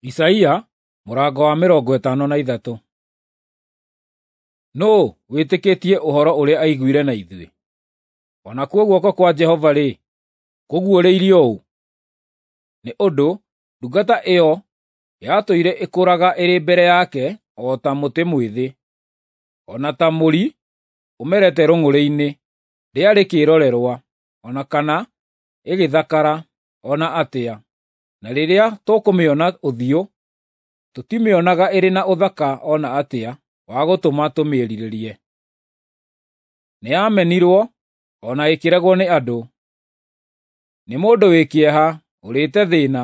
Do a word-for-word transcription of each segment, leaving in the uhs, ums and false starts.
Isaia mũrango wa mĩrongo ĩtano na ithatũ. Nũũ wĩtĩkĩtie ũhoro ũrĩa aiguire na ithuĩ? O nakuo guoko kwa Jehova-rĩ, kũguũrĩirio ũ? Nĩ ũndũ ndungata ĩyo yatũire ĩkũraga ĩrĩ mbere yake o ta mũtĩ mwĩthĩ, o na ta mũri ũmerete rũng'ũrĩ-inĩ, ndĩarĩ kĩĩrorerwa, o na kana ĩgĩthakara o na atĩa, na rĩrĩa tũkũmĩona ũthiũ, tũtimĩonaga ĩrĩ na ũthaka o na atĩa wa gũtũma tũmĩĩrirĩrie. Nĩyamenirwo o na ĩkĩregwo nĩ andũ, nĩ mũndũ wĩ kĩeha, ũrĩĩte thĩĩna,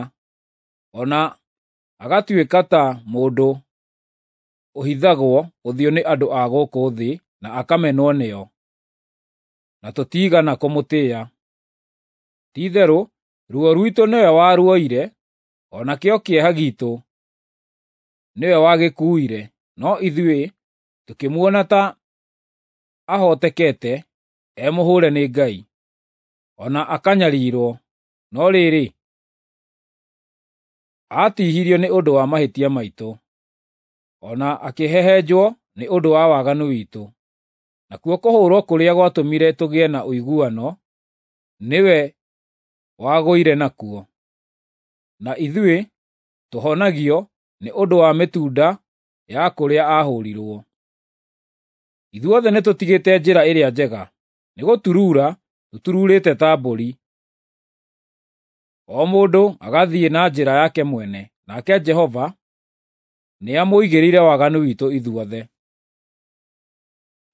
o na agatuĩka ta mũndũ ũhithagwo ũthiũ nĩ andũ a gũkũ thĩ na akamenwo nĩo, na tũtiigana kũmũtĩĩa. Ti-itherũ ruo rwitũ nĩwe waruoire, o nakĩo kĩeha giitũ nĩwe wagĩkuuire, no ithuĩ tũkĩmuona ta ahootekete, e mũhũũre nĩ Ngai, o na akanyariirwo. No rĩrĩ, aatiihirio nĩ ũndũ wa mahĩtia maitũ, o na akĩhehenjwo nĩ ũndũ wa waganu witũ. Nakuo kũhũũrwo kũrĩa gwatũmire tũgĩe na ũiguano, nĩwe wagũire nakuo. Na ithuĩ tũhonagio nĩ ũndũ wa mĩtunda ya kũrĩa aahũũrirwo. Ithuothe nĩtũtigĩte njĩra ĩrĩa njega, nĩgũturuura tũturuurĩte ta mbũri, o mũndũ agathiĩ na njĩra yake mwene, nake Jehova nĩamũigĩrĩire waganu witũ ithuothe.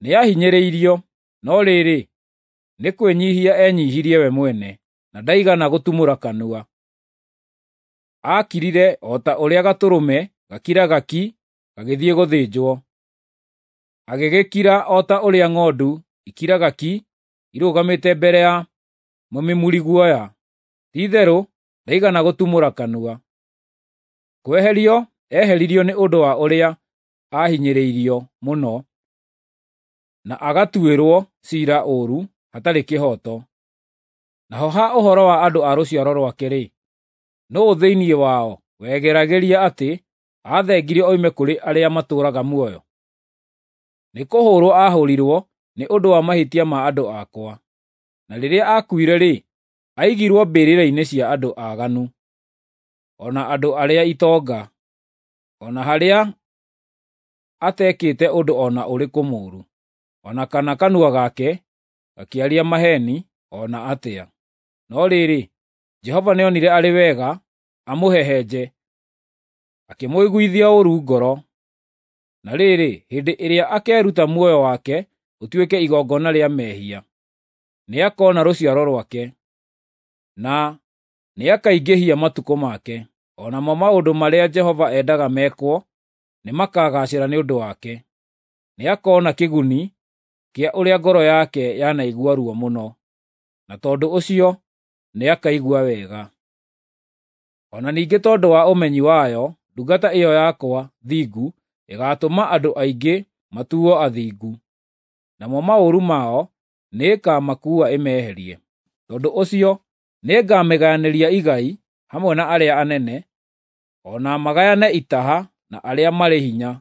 Nĩahinyĩrĩirio, no rĩrĩ, nĩ kwĩnyiihia enyiihirie we mwene, na ndaigana gũtumũra kanua. Aakirire o ta ũrĩa gatũrũme gakiraga ki gagĩthiĩ gũthĩnjwo, agĩgĩkira o ta ũrĩa ng'ondu ikiraga ki irũgamĩte mbere ya mũmimuri guoya. Ti-itherũ ndaigana gũtumũra kanua. Kweherio eheririo nĩ ũndũ wa ũrĩa aahinyĩrĩirio mũno, na agatuĩrwo ciira ũũru hatarĩ kĩhooto. Naho ha ũhoro wa andũ a rũciaro rwake-rĩ, nũũ thĩinĩ wao wegeragĩria atĩ aathengirio oime kũrĩ arĩa matũũraga muoyo? Nĩkũhũũrwo aahũũrirwo nĩ ũndũ wa mahĩtia ma andũ akwa, na rĩrĩa aakuire-rĩ, aigirwo mbĩrĩra-inĩ cia andũ aaganu, o na andũ arĩa itonga, o na harĩa atekĩte ũndũ o na ũrĩkũ mũũru, o na kana kanua gake gakĩaria maheeni o na atĩa. No rĩrĩ, Jehova nĩonire arĩ wega amũhehenje, akĩmũiguithia ũũru ngoro. Na rĩrĩ, hĩndĩ ĩrĩa akeeruta muoyo wake ũtuĩke igongona rĩa mehia, nĩakoona rũciaro rwake, na nĩakaingĩhia matukũ make, o namo maũndũ marĩa Jehova endaga mekwo nĩmakagaacĩra nĩ ũndũ wake. Nĩakoona kĩguni kĩa ũrĩa ngoro yake yanaigua ruo mũno, na tondũ ũcio nĩakaigua wega. O na ningĩ tondũ wa ũmenyi wayo, ndungata ĩyo yakwa thingu ĩgaatũma andũ aingĩ matuo athingu, namo maũru mao nĩĩkamakuua ĩmeherie. Tondũ ũcio nĩngamĩgayanĩria igai hamwe na arĩa anene, o na magayane itaha na arĩa marĩ hinya,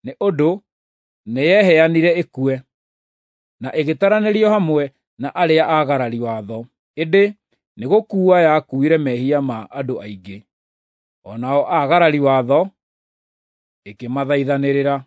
nĩ ũndũ nĩyeheanire ĩkue, na ĩgĩtaranĩrio hamwe na arĩa aagarari watho, ĩndĩ nĩgũkuua yakuuire mehia ma andũ aingĩ, o nao aagarari watho ĩkĩmathaithanĩrĩra.